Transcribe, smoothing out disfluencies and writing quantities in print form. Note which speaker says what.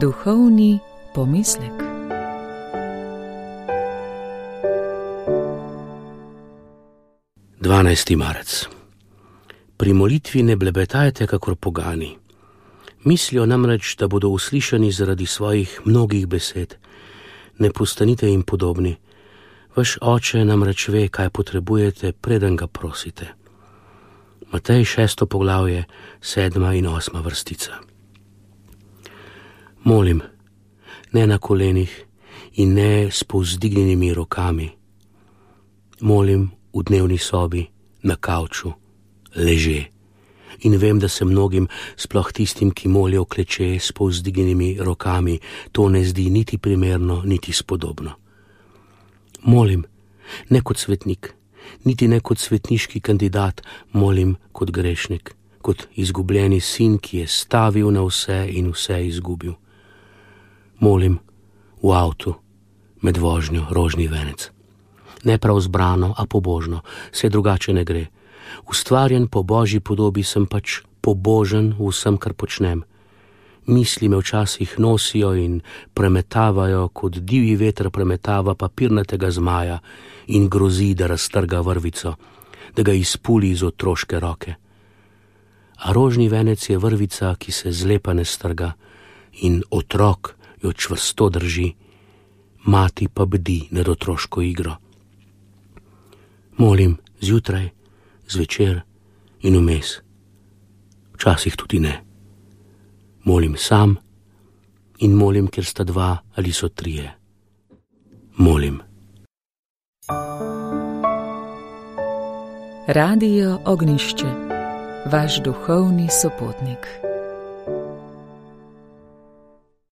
Speaker 1: Duhovni pomislek.
Speaker 2: Marec. Pri molitvi ne blebetajte kakor pogani. Mislijo namreč, da bodo uslišani zaradi svojih mnogih besed. Ne postanite jim podobni. Vaš oče namreč ve, kaj potrebujete, preden ga prosite. Matej 6. poglavje, 7. in 8. vrstica. Molim, ne na kolenih in ne s povzdignjenimi rokami. Molim v dnevni sobi, na kavču, leže. In vem, da se mnogim, sploh tistim, ki molijo kleče s povzdignjenimi rokami, to ne zdi niti primerno, niti spodobno. Molim, ne kot svetnik, niti ne kot svetniški kandidat, molim kot grešnik, kot izgubljeni sin, ki je stavil na vse in vse izgubil. Molim v avtu, med vožnjo, rožni venec. Ne prav zbrano, a pobožno, se drugače ne gre. Ustvarjen po Božji podobi sem pač pobožen v vsem, kar počnem. Misli me včasih nosijo in premetavajo, kot divji veter premetava papirnatega zmaja in grozi, da raztrga vrvico, da ga izpuli iz otroške roke. A rožni venec je vrvica, ki se zlepa ne strga in otrok jo čvrsto drži, mati pa bdi nad otroško igro. Molim zjutraj, zvečer in vmes. Včasih tudi ne. Molim sam in molim, ker sta dva ali so trije. Molim.
Speaker 1: Radio Ognjišče, vaš duhovni sopotnik.